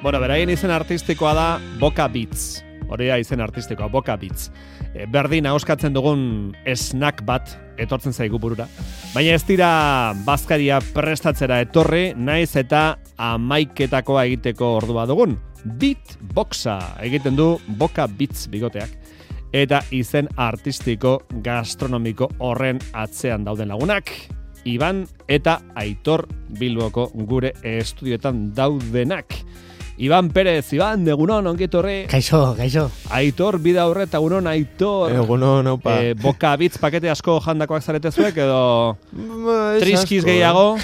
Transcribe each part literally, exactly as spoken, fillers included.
Bueno, beraien izen artistikoa da Boca Beats. Hori da izen artistikoa, Boca Beats. E, berdin ahoskatzen dugun snack bat etortzen zaigu burura. Baina ez dira bazkaria prestatzera etorri, naiz eta amaiketakoa egiteko ordua dugun. Beatboxa egiten du Boca Beats bigoteak. Eta izen artistiko gastronomiko horren atzean dauden lagunak. Iban eta Aitor Bilboko gure estudioetan daudenak. Iban Perez, Iban, egunon, ongitorri. Kaixo, kaixo. Aitor, bida horret, egunon, Aitor. Egunon, aupa. Eh, Boca Beats pakete asko jandakoak zarete zuek, edo triskiz gehiago.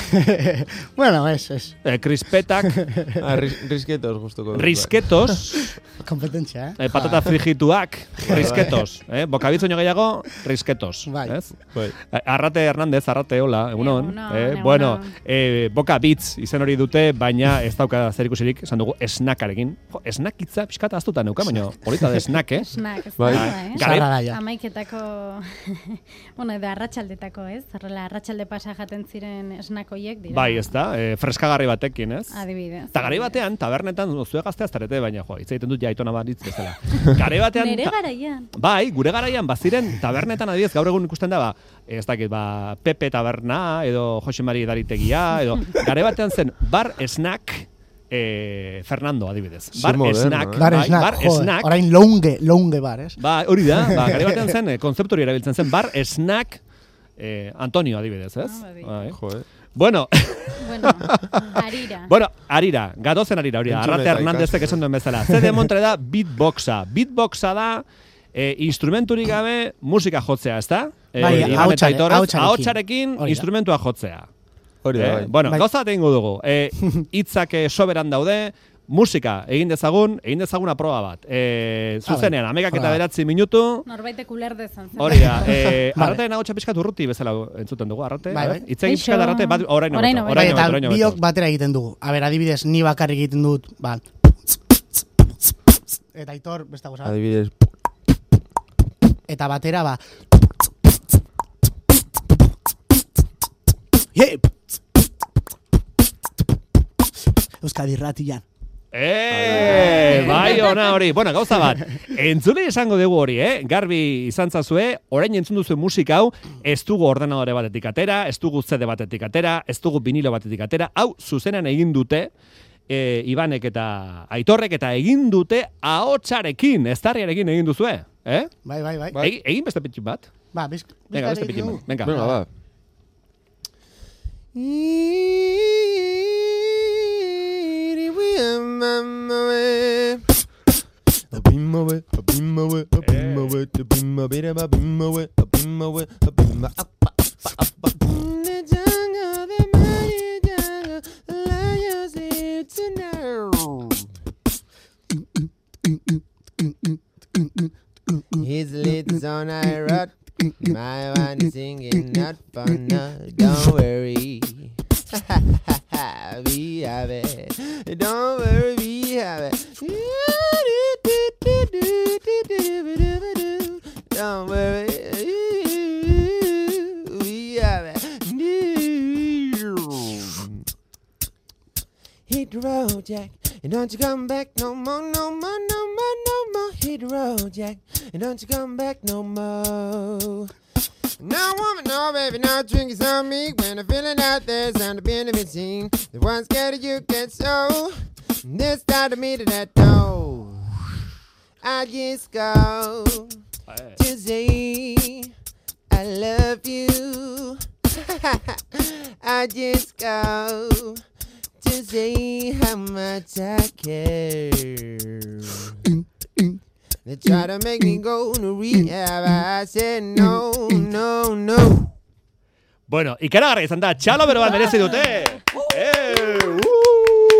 Bueno, ez, ez. Eh, krispetak. Ah, ris risketos, gustuko. Risketos. Kompetentzia, eh? eh patata frigituak, risketos. Eh? Boca Beats oino gehiago, risketos. Bai. Ez? Bai. Arrate Hernández, Arrate, hola, egunon. Egunon, eh? egunon. Bueno, eh, Boca Beats izen hori dute, baina ez dauka zer ikusirik, esan dugu, snackarekin. Jo, snack hitza pixkata aztuta neuka, baina polita de snack, eh? Snack, ez Bai. da, eh? Gare- Zarra da, ja. Amaiketako, bueno, edo arratsaldetako, ez? Horrela, arratsalde pasa jaten ziren snack hoiek dira. Bai, ez da, eh, freskagarri batekin, ez? Adibidez. Eta gare batean, tabernetan, zue gaztea zarete, baina jo, hitz egiten dut jaitona bat hitz bezala. Gare batean... Nere ta- garaian. Bai, gure garaian, baziren tabernetan adibidez, gaur egun ikusten da, ba, ez dakit, ba, Pepe Taberna, edo Jose Mari Daritegia, edo gare batean zen bar snack, eh, Fernando adibidez. Bar moderno, snack, eh? Bar bai, snack, bar joder, snack. orain longe, longe bar, ez? Ba, hori da, ba, gare batean zen, eh, kontzeptu hori erabiltzen zen, bar snack, eh, Antonio adibidez, ez? Ah, bai. Bai. Jo, eh. Bueno, Bueno, harira. bueno, arira, gatozen arira, hori da, Entzun Arrate eta Hernandezek ikasi. esan duen bezala. Zer demontre da beatboxa. Beatboxa da, eh, instrumenturik gabe musika jotzea, ez da? Eh, Bai, Iban eta ahotsare- Aitorrez, ahotsarekin. ahotsarekin Hori da. instrumentua jotzea. Hori da, Eh, bai. bueno, Bai. gauza bat egingo dugu. Eh, hitzak eh, soberan daude, musika egin dezagun, egin dezaguna proba bat. Eh, zuzenean, bai. amekak eta Proba. beratzi minutu, Norbaitek uler dezan. zen. hori da, eh, Vale. Arratearen ahotsa pixkat urruti bezala entzuten dugu, Arrate. Bai, bai. Hitz egin Kaixo. pixkat Arrate, bat, orain Orain hobeto, hobeto. orain Bai, eta hobeto, orain biok hobeto. batera egiten dugu. A ber, adibidez, ni bakarrik egiten dut, ba... Eta Aitor, beste goza. Adibidez. Eta batera, ba... Hey! Euskadi Irratian. Eh, bai ona hori. Bueno, gauza bat. Entzule esango dugu hori, eh? Garbi izan zazue, orain entzun duzu musika hau, ez dugu ordenadore batetik atera, ez dugu C D batetik atera, ez dugu vinilo batetik atera, hau zuzenean egin dute, eh, Ibanek eta Aitorrek eta egin dute ahotsarekin, eztarriarekin egin duzue, eh? Bai, bai, bai. Bai. Egi- Egin beste pitxin bat. Ba, biz, Venga, beste bizkari pitxin dugu. bat. Venga. Venga, ba. His lids on I rot. My one is singing not fun. No, don't worry. We have it. Don't worry, we have it. Don't worry. We have it. Hit the road, Jack, and don't you come back no more, no more, no more, no more. Hit the road, Jack, and don't you come back no more. No woman, no baby, no drinking on me. When I'm feeling out there, sound of being a machine. The one scared of you get so. This time to me to that door. I just go to say I love you. I just go to say how much I care. They try to make me go to rehab. I said no, no, no. Bueno, ikaragarri izan da, txalo bero bat merezi dute. Eh, uh!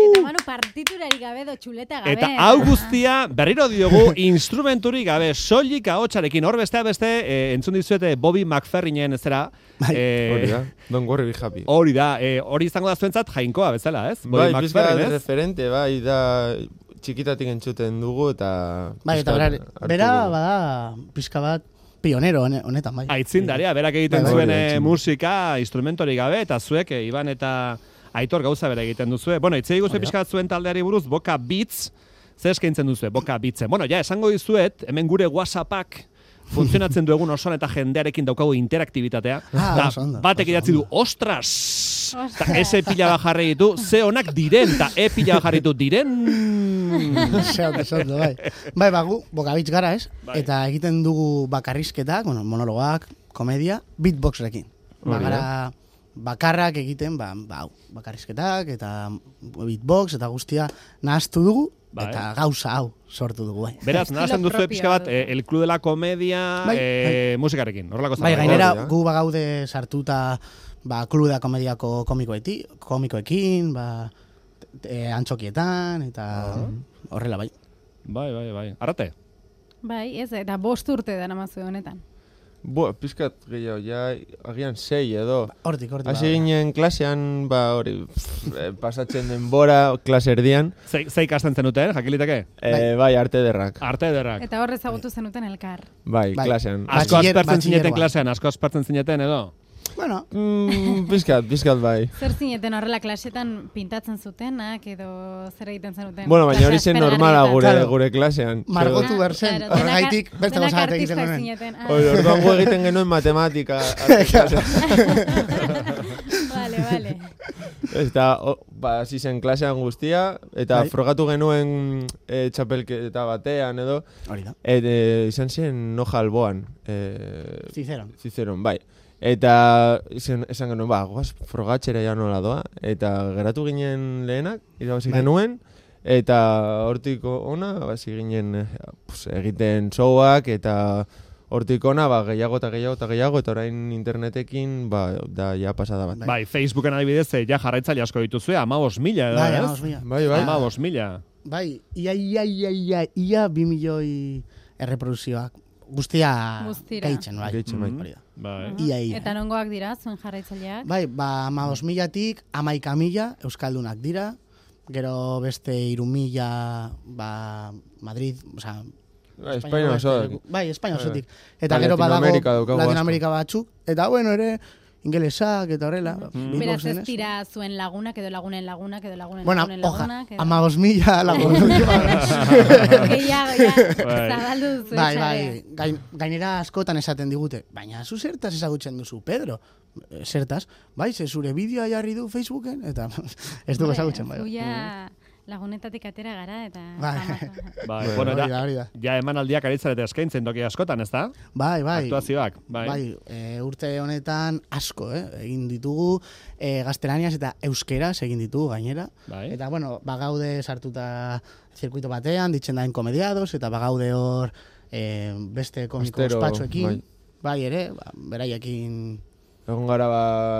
Eta manu partiturarik gabe do txuleta gabe. Eta hau guztia berriro diogu instrumenturik gabe, soilik ahotsarekin. Hor beste beste eh, entzun dizuete Bobby McFerrinen ezera. Eh, Hori da. Don't worry, be happy. Hori da, eh, hori izango da zuentzat jainkoa bezala, ez? Bai, Bobby pizka McFerrin, ez? referente, bai, da txikitatik entzuten dugu eta... Bai, eta pizka bera, hartu bera dugu. bada pizka bat pionero hone- honetan, bai. Aitzindaria, berak egiten Bai, bai. zuen Bai, eh, aitzin. musika, instrumentorik gabe, eta zuek, eh, Iban eta Aitor gauza bera egiten duzue. Bueno, itzei guzue pixka bat zuen taldeari buruz, Boka Beats, zer eskaintzen duzue, Boka Beatsen. Bueno, ja, esango dizuet, hemen gure WhatsAppak funtzionatzen du egun osoan eta jendearekin daukagu interaktibitatea. Ah, Da, oso ondo, batek oso idatzi du, ondo. ostras! Eta ese pila bat jarri ditu, ze honak diren, eta e pila bat jarri ditu, diren... Zeondo, zeondo, bai. Bai, bagu, bokabitz gara, ez? Bai. Eta egiten dugu bakarrizketak, bueno, monologoak, komedia, beatboxekin. Ba, Hori da. gara bakarrak egiten, ba, ba, hau, bakarrizketak, eta beatbox, eta guztia nahaztu dugu, Bai. eta gauza hau sortu dugu, bai. Beraz, Estilo nahazten duzue propioa pixka bat, du. eh, el club de la comedia Bai, eh, musikarekin, horrelako Bai, zerbait. gainera, Hori da. gu bagaude sartuta, ba, Club da Komediako komikoeti, komikoekin, ba, e, antxokietan, eta horrela, bai. Bai, bai, bai. Arrate? Bai, ez, eta bost urte da namazue honetan. Bo, pizkat gehiago, ja, agian sei edo. Hortik, hortik. Hasi ba, ginen klasean, ba, hori, pff, eh, pasatzen denbora, klase erdian, Zei, zei ikasten zenuten, jakiliteke? eh, bai, arte derrak. Arte ederrak. Eta hor ezagutu zenuten elkar. Bai, Bai. klasean. Ah, Asko Batxiller- aspertzen zineten batxillergoan. klasean, asko aspertzen zineten edo? Bueno, Mm, pizkat, pizkat bai. Zer zineten horrela klasetan pintatzen zutenak edo zer egiten zenuten? Bueno, baina hori zen normala gure, Claro. gure klasean. margotu Ah, behar zen, claro, denak- horregaitik beste denak gauza bat egiten artistak genuen. zineten. Ah, Hori, orduan gu egiten genuen matematika. arte klasean. vale, vale. Eta, o, ba, hasi zen klasean guztia, eta Bai. frogatu genuen e, txapelketa batean edo, Hori da, et, e, izan zen noja alboan. E, zizeron. Zizeron, bai. Eta izan, esan genuen, ba, goaz, frogatxera ja nola doa. Eta geratu ginen lehenak, irabazi Bai. genuen, eta hortik ona, basi ginen eh, pues, egiten showak, eta hortik ona, ba, gehiago eta gehiago eta gehiago, eta orain internetekin, ba, da, ja pasada bat. Bai, Facebooken adibidez, eh, ja jarraitzaile asko dituzue, amabos mila edo, Bai, ez? amabos mila. Bai, bai. Amabos mila. Bai, ia, ia, ia, ia, ia, bi milioi erreproduzioak. Guztia Guztira. gaitzen, bai. Gaitzen, bai. Hori da. Bai. Ia, ia. Eta nongoak dira, zuen jarraitzaileak? Bai, ba, amabos milatik, amaika mila, euskaldunak dira, gero beste iru mila, ba, Madrid, oza, Ba, Espainia osoak. Bai, Espainia Bai, osotik. bai. Eta Ba, gero badago Latinoamerika daukagu asko. Latinoamerika batzuk, eta bueno, ere, ingelesak eta horrela. Mm. Beraz beatboxen, ez ez? dira zuen lagunak edo lagunen lagunak edo lagunen Bueno, lagunen oja, lagunak. edo- amabos mila lagun. Gehiago, ja, Bai. zabaldu duzu Bai, etxarea. bai, gain, gainera askotan esaten digute, baina zu zertaz ezagutzen duzu, Pedro? Eh, Zertaz, bai, ze zure bideoa jarri du Facebooken, eta ez dugu Hombre, ezagutzen, bai. zu ja lagunetatik atera gara, eta... Bai. Bai, Bai, bueno, hori eta, da, hori da. ja emanaldiak aritzarete eskaintzen toki askotan, ez da? Bai, bai. Aktuazioak, bai. Bai, e, urte honetan asko, eh? Egin ditugu, e, gaztelaniaz eta euskeraz egin ditugu gainera. Bai. Eta, bueno, bagaude sartuta zirkuito batean, ditzen daen komediados, eta bagaude hor e, beste komiko Astero, ospatxoekin. bai. Bai, ere, ba, beraiekin Egon gara, ba,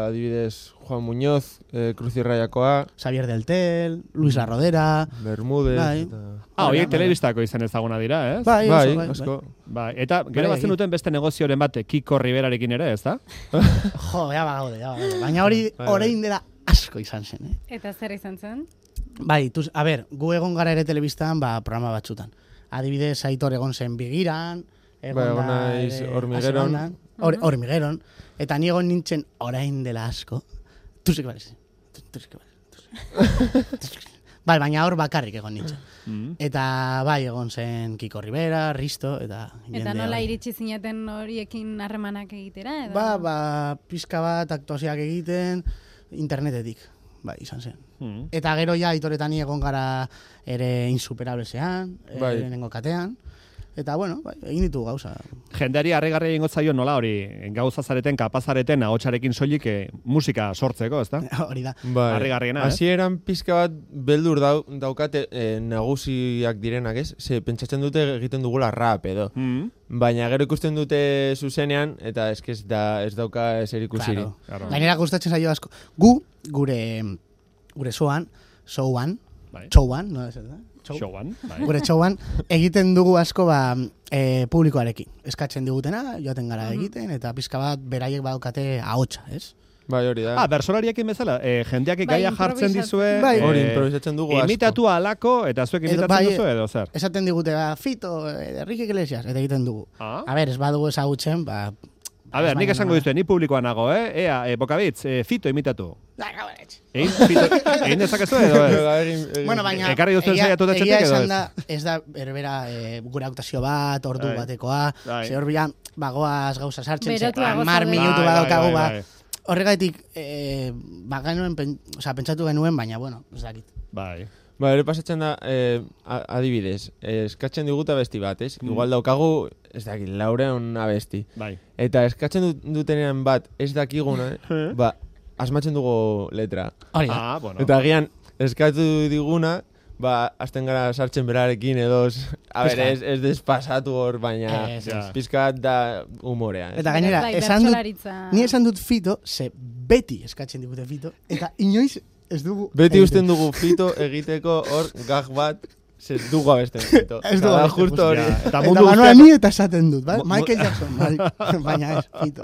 adibidez, Juan Muñoz, e, Cruzirraiakoa, Xavier del Tel, Luis La Rodera. Bermúdez, Bai. eta... Ah, Bai, horiek bai. telebistako izan ezaguna dira, ez? Bai, Bai, oso, bai, asko. Bai, eta gero Bai, bazen egin. duten beste negozioren bat Kiko Riverarekin ere, ez da? bai. Jo, ja bagaude, ja bagaude. Baina hori Bai, orain dela asko izan zen, eh? Eta zer izan zen? Bai, tuz, a ber, gu egon gara ere telebistan, ba, programa batzutan. Adibidez, Aitor egon zen Bigiran, egon Bai, egon da naiz ere Hormigueron. Asegonan, Hor- Hormigueron, eta ni egon nintzen orain dela asko. Tu sí que vales. Tu, tu sí que vales. Tu sí. Tu sí que- Bai, baina hor bakarrik egon nintzen. Mm. Eta bai, egon zen Kiko Rivera, Risto, eta Eta jende nola hori. iritsi zineten horiekin harremanak egitera? Edo? Ba, ba, pizka bat aktuazioak egiten, internetetik, bai, izan zen. Mm. Eta gero ja Aitoretan ni egon gara ere insuperablesean, Bai. bai. Lehenengo katean. Eta bueno, bai, egin ditu gauza. Jendeari harrigarria egingo zaio nola hori gauza zareten, kapazareten, ahotsarekin soilik eh, musika sortzeko, ez da? Hori da. Bai. Harrigarriena, ez? Hasieran pizka bat beldur dau, daukate e, nagusiak direnak, ez? Ze pentsatzen dute egiten dugula rap edo. Mm. Baina gero ikusten dute zuzenean, eta eske ez, da, ez dauka ezer ikusirik. Claro. Claro. Gainera gustatzen zaio asko. Gu, gure, gure soan, showan, Bai. showan, no ez da? Show. Showan, bai. Gure showan, egiten dugu asko ba, e, publikoarekin. Eskatzen digutena, joaten gara egiten, eta pizka bat beraiek badaukate ahotsa, ez? Bai, hori da. Ah, bersolariekin bezala, eh, jendeak Bai, gaia jartzen improvisatzen. dizue... Bai. Hori, eh, improvisatzen dugu asko. Imitatu alako, eta zuek Edo, imitatzen bai, duzu edo zer? Esaten digute, ba, Fito, eh, Enrique Iglesias, eta egiten dugu. Ah? A ber, ez badugu ezagutzen, ba, A ber, nik esango dizue, ni publikoan nago, eh? Ea, e, Bokabitz, e, Fito imitatu. Egin, Fito, egin dezakezu edo, ez? Bueno, baina, Ekarri duzuen saiatu da txetik edo, ez? da, ez da, berbera, e, gure autazio bat, ordu Ai. batekoa, Ai. ze hor bila, bagoaz gauza sartzen, ze, Berotuago hamar zaude. minutu Bai, badaukagu, bai, ba, bai, horregatik, e, ba, genuen, pen, oza, pentsatu genuen, baina, bueno, ez dakit. Bai. Ba, ere pasatzen da, eh, a- adibidez, eh, eskatzen diguta abesti bat, ez? Mm. Igual daukagu, ez dakit, laureun abesti. Bai. Eta eskatzen dut, dutenean bat ez dakiguna, eh? ba, asmatzen dugu letra. Hori da. Ah, bueno. Eta agian, eskatu diguna, ba, azten gara sartzen berarekin edo, a ber, Pizka. ez, ez despasatu hor, baina Ez, ez. pizkat da humorea. Ez? Eta gainera, Bai, esan dut, bertsolaritza. ni esan dut Fito, ze beti eskatzen digute Fito, eta inoiz ez dugu... Beti egiten. usten dugu Fito egiteko hor gag bat, ez dugu abesten Fito. Ez dugu Eta da abesten, justo hori. Ja, eta Eta mundu Manuel guztiak, ni eta esaten dut, bai? Mo- mo- Michael Jackson, bai. Baina ez, Fito.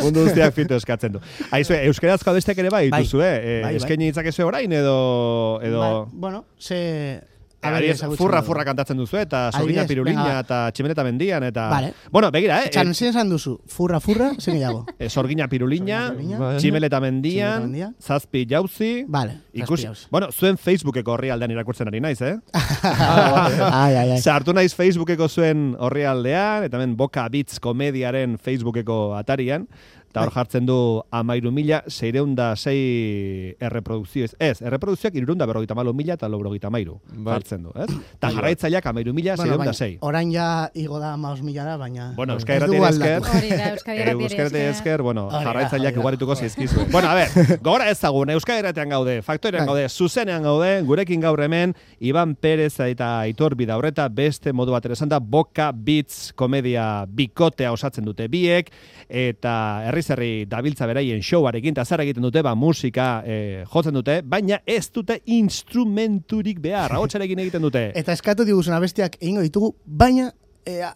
mundu guztiak Fito eskatzen du. Aizue, euskerazko abesteak ere bai, Bai. dituzu, eh? E, Bai, bai. Eskaini ditzakezu orain edo... edo... Ba, bueno, ze... Eh, a ber, adibidez, ezagutzen furra dugu. furra kantatzen duzu eta Sorgina Adibidez, Pirulina venga. eta Tximeleta Mendian eta... Vale. Bueno, begira, eh? Etxan, zein esan duzu, furra furra, zein gehiago. eh, Sorgina Pirulina, Sorgina Pirulina. Bai. Tximeleta Tximeleta Mendian, Mendian. Zazpi Jauzi... Vale, Ikusi, zazpi bueno, zuen Facebookeko orrialdean irakurtzen ari naiz, eh? ai, ai, ai. Sartu naiz Facebookeko zuen orrialdean, eta hemen Boka Beats komediaren Facebookeko atarian, eta hor jartzen du amairu mila, seireunda sei erreprodukzio, ez, erreprodukzioak irurunda berrogeita malo mila eta laurogeita amairu Bai. jartzen du, ez? Eta jarraitzaileak amairu mila, Bueno, seireunda baina, sei. orain ja igo da maos milara, baina... Bueno, ez Euskal dugu Irratiari esker, aldatu. Hori da, Euskadi Irratiari Euskal Irratiari esker. esker, bueno, Hori da, jarraitzaileak hori da. ugarituko zaizkizu. Bueno, a ber, gora ezagun, Euskal Irratian gaude, Faktorean Bai. gaude, zuzenean gaude, gurekin gaur hemen, Iban Perez eta Aitor Bidaurreta, beste modu bat ere esan da, Boka Beats komedia bikotea osatzen dute biek, eta herriz herri dabiltza beraien showarekin, eta zer egiten dute, ba, musika eh, jotzen dute, baina ez dute instrumenturik behar, ahotsarekin egiten dute. Eta eskatu diguzun abestiak egingo ditugu, baina... Ea,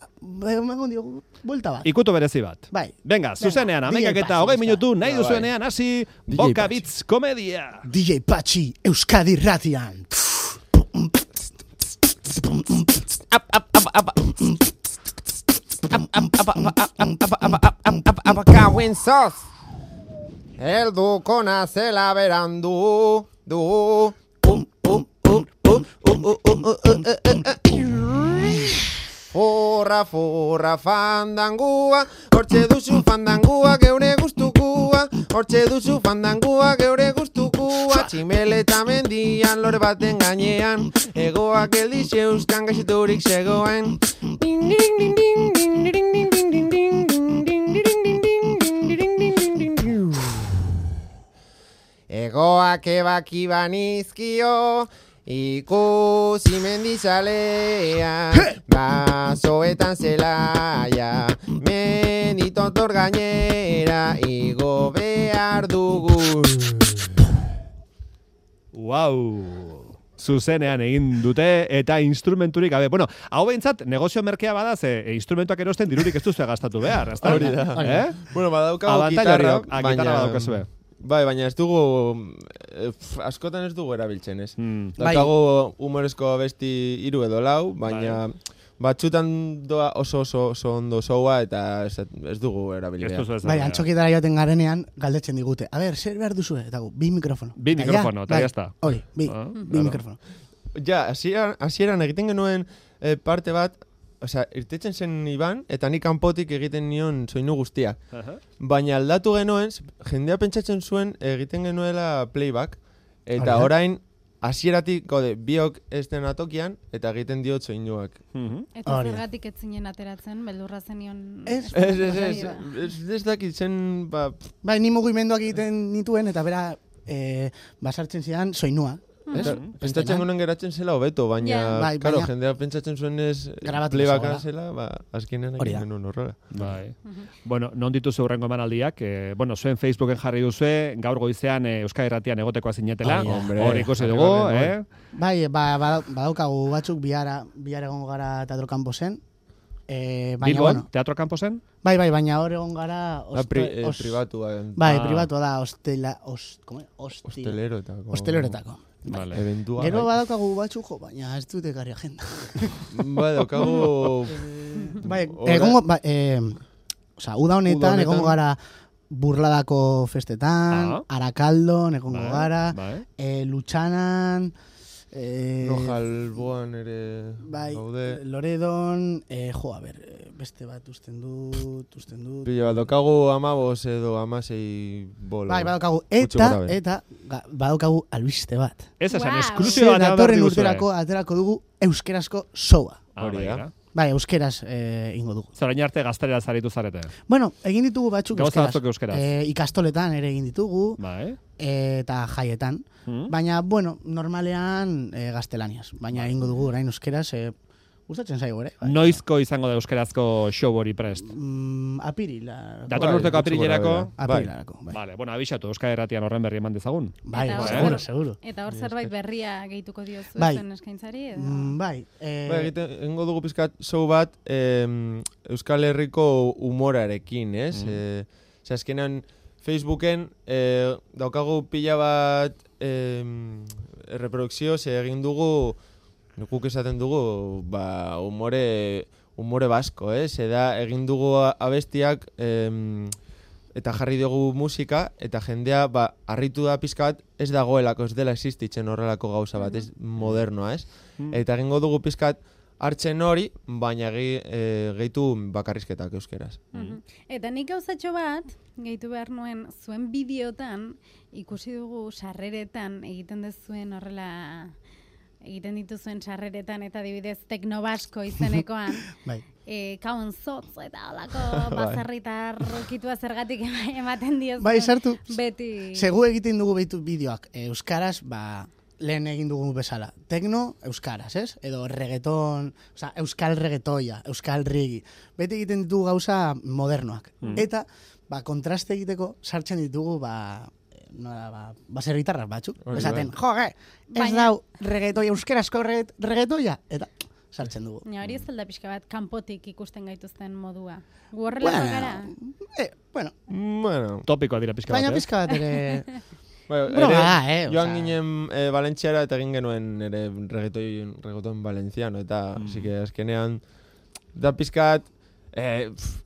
emango diogu, buelta bat. Ikutu berezi bat. Bai. Venga, zuzenean, D J amekak eta Patxi, hogei ezta? minutu, nahi Bai. duzuenean, hasi, D J Boka Patxi. Beats komedia. D J Patxi, Euskadi Ratian. Apakauin zoz Helduko nazela berandu Du Um, um, um, um, um, um, um, uh, uh, uh, uh. Forra, forra, fandangua Hortxe duzu fandangua geure guztukua Hortxe duzu fandangua geure guztukua Tximeleta mendian lore baten gainean Egoak eldixe euskan gaixiturik zegoen Ding, ding, ding, ding, ding, ding, ding, ding, ding, ding, ding, ding, ding, ding, ding, ding, ding, ding, ding, ding. Egoak ebaki banizkio ikusi mendizalea basoetan zelaia menditotor gainera igo behar dugu. Wow! Zuzenean egin dute eta instrumenturik gabe. Bueno, hau behintzat negozio merkea bada ze e, instrumentuak erosten dirurik ez duzu gastatu behar. Ezta? Hori da. Eh? Bueno, badaukagu Abantaila gitarra, horiok, ah, gitarra badaukazue. Bai, baina ez dugu, eh, pf, askotan ez dugu erabiltzen, ez? Hmm. Daukagu humorezko abesti hiru edo lau, baina batzutan doa oso oso, oso ondo soua eta ez, ez dugu erabili Ez behar. duzu ez Bai, da. antxokitara joaten garenean galdetzen digute. A ber, zer behar duzu? Eta gu, bi mikrofono. Bi Eta mikrofono, eta bai, ya está. Hori, bi, Ah, bi claro. mikrofono. Ja, hasieran hasieran egiten genuen eh, parte bat, osea, irtetzen zen Iban, eta nik kanpotik egiten nion soinu guztia. Aha. Baina aldatu genuen, jendea pentsatzen zuen egiten genuela playback, Hori eta da. orain hasieratik gode biok ez den atokian, eta egiten diot soinuak. Mhm. Eta Hori da. zergatik ez zinen ateratzen, beldurra zenion... Ez. Ez, ez, ez, ez, ez dakit zen, ba, Bai, ni mugimenduak egiten nituen, eta bera, eh, basartzen zidan soinua. eta, Ez? pentsatzen genuen geratzen zela hobeto, baina, Ja. Bai, claro, baina- jendea pentsatzen zuen ez Grabatu playbacka zegoela. zela, ba, azkenean Hori da. egiten genuen horrela. Bai. Bueno, non dituzu hurrengo emanaldiak, eh, bueno, zuen Facebooken jarri duzue, gaur goizean eh, Euskal Irratian egotekoa zinetela, Hori da. Hombre, hor ikusi jarri dugu, gabe, eh? Bai, ba, ba, badaukagu batzuk bihara, bihara egongo gara Teatro Camposen. Eh, baina, Bilbon, bueno, Teatro Camposen? bai, bai, baina hor egon gara... Ba, oste- pri, eh, os- pribatua, Bai, Ah. pribatua da, ostela, os, como, hosti, hosteleroetako. hosteleroetako. Vale. Eventua. Gero bai. badaukagu batzuk, jo, baina ez dute ekarri agenda. Bai, daukagu... Bai, Ora- egongo, ba, eh, Osa, uda honetan, Uda honetan. egongo gara burladako festetan, Ah. Arakaldon, egongo Bai, gara, bai. eh, Lutxanan, eh, Rojalboan ere bai, gaude. Loredon, eh, jo, a ber, eh, beste bat usten dut, usten dut. Pilo bat, daukagu amabos edo amasei bolo. Bai, badaukagu, Gutxi eta, gora behera. eta, ga- badaukagu albiste bat. Ez esan, Wow. esklusioa Ze bat datorren diguzue. urterako aterako dugu euskerazko showa. Ah, Hori bai, da. da. Bai, euskeraz eh, ingo dugu. Zorain arte gaztelera zaritu zarete. Bueno, egin ditugu batzuk Gauza euskeraz. batzuk euskeraz. Eh, ikastoletan ere egin ditugu, Bai. eh, eta jaietan. Hmm? Baina, bueno, normalean eh, gaztelaniaz. Baina egingo dugu orain euskeraz, eh, gustatzen zaigu ere. Bai. Noizko izango da euskerazko show hori prest? Mm, apirila. Datorren Bai, urteko gutxi gora apirilerako? behera. Bai. Apirilarako, bai. Vale, bueno, abixatu, Euskal Herratian horren berri eman dezagun. Bai, Eta bai, hor- seguro, seguro. Eta hor zerbait berria gehituko diozu Bai. zuen eskaintzari, edo? Mm, bai, eh, Bai, egiten, egingo dugu pizkat show bat em, Euskal Herriko humorarekin, ez? Mm. Eh, Ze azkenan Facebooken eh, daukagu pila bat em, reprodukzio, ze egin dugu, guk esaten dugu, ba, humore, humore basko, ez? Ze da, egin dugu abestiak em, eta jarri dugu musika, eta jendea, ba, harritu da pizkat, ez dagoelako, ez dela existitzen horrelako gauza bat, ez modernoa, ez? Mm. Eta egingo dugu pizkat hartzen hori, baina ge, e, gehitu bakarrizketak euskeraz. Mhm. Eta nik gauzatxo bat, gehitu behar nuen, zuen bideotan, ikusi dugu sarreretan egiten dezuen horrela, egiten dituzuen sarreretan, eta adibidez teknobasko izenekoan, bai. e, kaun zotz, eta holako bazarritar rukitua zergatik ematen diozuen. Bai, sartu. Beti. Segu egiten dugu behitu bideoak. E, euskaraz, ba, lehen egin dugu bezala. Tekno, euskaraz, ez? Edo reggaeton, oza, euskal reggaetoia, euskal rigi. Beti egiten ditugu gauza modernoak. Mm. Eta, ba, kontraste egiteko sartzen ditugu, ba, nola, ba, baserritarrak batzuk. Hori Esaten, bai. jo, ge, ez Baina- dau reggaetoia, euskarazko reggaet- reggaetoia. Eta, sartzen dugu. Ja, hori ez da pixka bat kanpotik ikusten gaituzten modua. Gu horrelako gara. eh, bueno, Bueno, Topikoa dira pixka baina bat, eh? pizka bat ere... Bueno, Broma ere, da, eh, joan osea. ginen e, Valentziara eta egin genuen ere reggaeton, reggaeton valenciano, eta Mm. así que azkenean da pizkat, e, pf,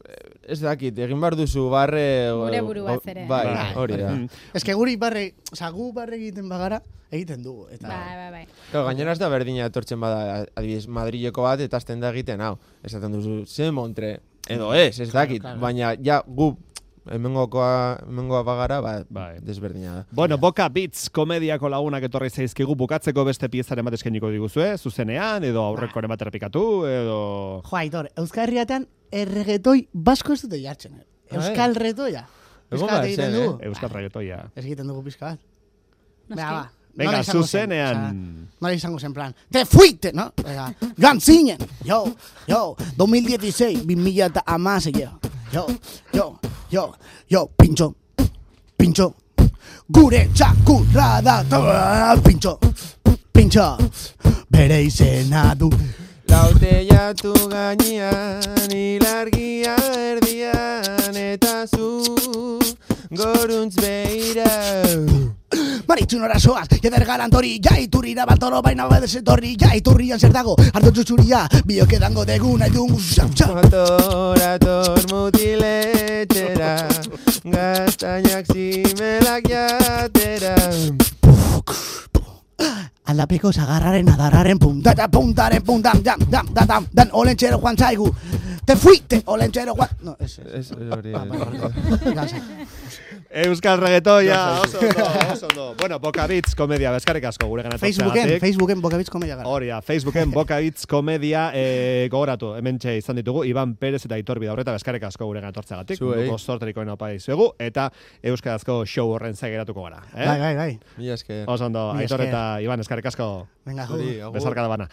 ez dakit, egin behar duzu barre... Gure o- buruaz o- ere. Bai, Bai. hori da. Mm. Ez que guri barre, oza, gu barre egiten bagara, egiten dugu. Eta, Bai, bai, bai. Claro, gainera ez da berdina etortzen bada, adibidez, Madrileko bat, eta azten da egiten, hau, esaten duzu, ze montre, edo ez, ez Claro, dakit, claro. baina ja, gu, hemengokoa, hemengoa bagara, ba, Bai. desberdina da. Bueno, Boka Beats komediako lagunak etorri zaizkigu bukatzeko beste piezaren bat eskainiko diguzue, zuzenean, edo aurrekoren bat errepikatu, edo... Jo, Aitor, Euskal Herriatean erregetoi basko ez dute jartzen. eh? Euskal retoia. Egon Pizka bat behar egiten zen, dugu. Euskal Reggaetoia. Ez egiten dugu pizka bat. Noski. Venga, ba. Venga, nola izango zen? zuzenean. Osea, nola izango zen plan. Te fuite, no? Venga, joan zinen. Yo, yo, dos mil dieciséis, bi mila eta hamasei. Yo, yo, yo, yo, pintxo, pintxo. Gure txakurra da, toa, pintxo, pintxo. Bere izena du. Laute jatu gainean, ilargia erdian, eta zu goruntz behira. Maritzun orazoaz, jeder galantori, ja iturrira baltoro baina badez etorri, ja iturrian zer dago, ardotzu zuria, biok edango degu nahi dugu, xau, xau. Motorator mutiletxera, gaztainak zimelak jatera. Aldapeko zagarraren adarraren punta eta puntaren puntan, dam, dam, dam, dam, dan olentxero joan zaigu. Te fuite, olentxero joan... No, ez, ez. Ez, hori, Ba, ba, ba, ba, Euskal Reggaetoia, oso ondo, oso ondo. Bueno, Boka Beats komedia, bezkarrik asko gure gana Facebooken, Facebooken Bokabitz komedia gara. Hori da, Facebooken Boka Beats komedia e, gogoratu, hementxe izan ditugu, Iban Perez eta Aitor Bidaurreta, bezkarrik asko gure gana tortzeagatik, Zuei. munduko zorterikoen opa dizuegu, eta euskarazko show horren zaigeratuko gara. Eh? Bai, bai, bai. Mila esker. Oso ondo, Mila Aitor esker. eta Iban, eskarrik asko. Venga, Zuri, jo. agur. Bezarka da bana.